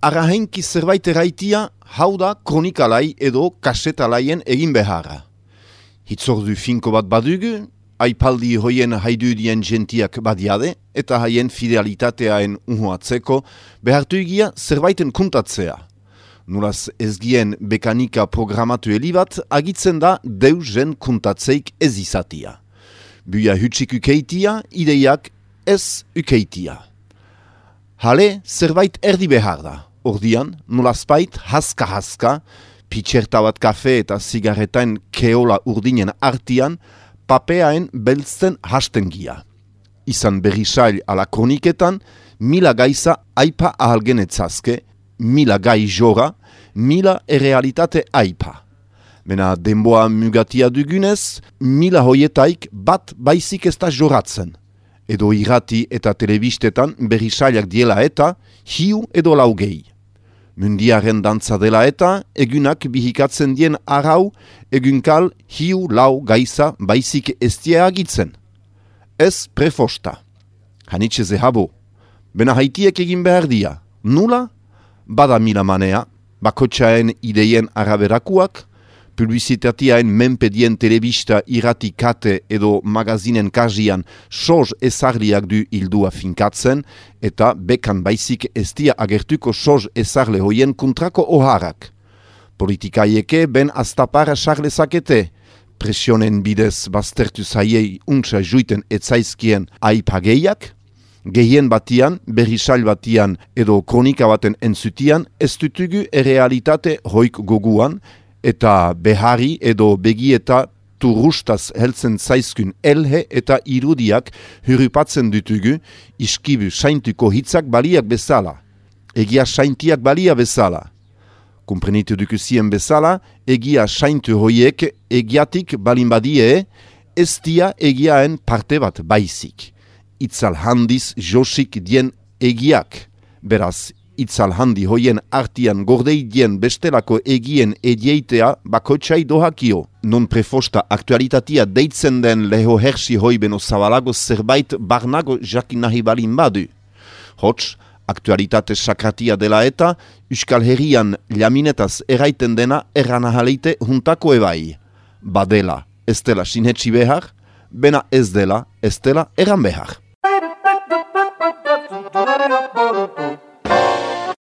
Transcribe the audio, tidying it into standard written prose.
arrahenki zerbait erraitia, hau da kronikalai edo kasetalaien egin beharra. Hitzordu finko bat badugu, aipaldi hoien haidudien gentiak badiade, eta haien fidelitateaen uhuatzeko, behartu egia zerbaiten kuntatzea. Nolaz ezgien bekanika programatu elibat, agitzen da deusen kuntatzeik ez izatia. Buia hutsik ukeitia, ideiak ez ukeitia. Hale, zerbait erdi behar da. Ordian, nolazpait, haska-haska, pitxerta bat kafe eta zigarretain keola urdinen artian, papeaen beltzen hastengia. Izan berrisail ala kroniketan, mila gaiza aipa ahalgenetzazke, mila gai jora, mila errealitate aipa. Mena denboa mugatia dugunez, mila hoietaik bat baizik ez da joratzen. Edo irrati eta telebistetan berrisailak diela eta hiu edo laugei. Mundiaren dantza dela eta egunak bihikatzen dien arau egunkal hiu lau gaiza baizik estia agitzen. Ez prefosta. Hanitxe zehabo. Bena haitiek egin behar dia. Nula? Bada mila manea, bakotxaen ideien araberakuak, publizitatiaen menpedien telebista irrati kate edo magazinen kajian soz ezarliak du hildua finkatzen, eta bekan baizik estia agertuko soz ezarle hoien kontrako oharak. Politikaieke ben astapara sarlezakete, presionen bidez baztertu zaiei untsa juiten etzaizkien aipageiak, gehien batian, berrisail batian edo kronika baten entzutian ez dutugu errealitate hoik goguan, eta behari edo begieta turustaz heltzen zaizkun elhe eta irudiak hurupatzen dutugu iskibu saintuko hitzak baliak bezala. Egia saintiak balia bezala. Komprenitu dukuzien bezala, egia saintu hoiek egiatik balin badie, ez dia egiaen parte bat baizik. Itzal handiz josik dien egiak, beraz, itzal handi hoien artian gordei dien bestelako egien edieitea bakotxai dohakio. Non prefosta aktualitatea deitzen den leho hersi hoibeno zabalago zerbait barnago jakin nahi balin badu. Hots, aktualitate sakratia dela eta Euskal Herrian laminetaz eraiten dena erranahaleite juntako ebai. Badela, ez dela sinhetsi behar, bena ez dela eran behar.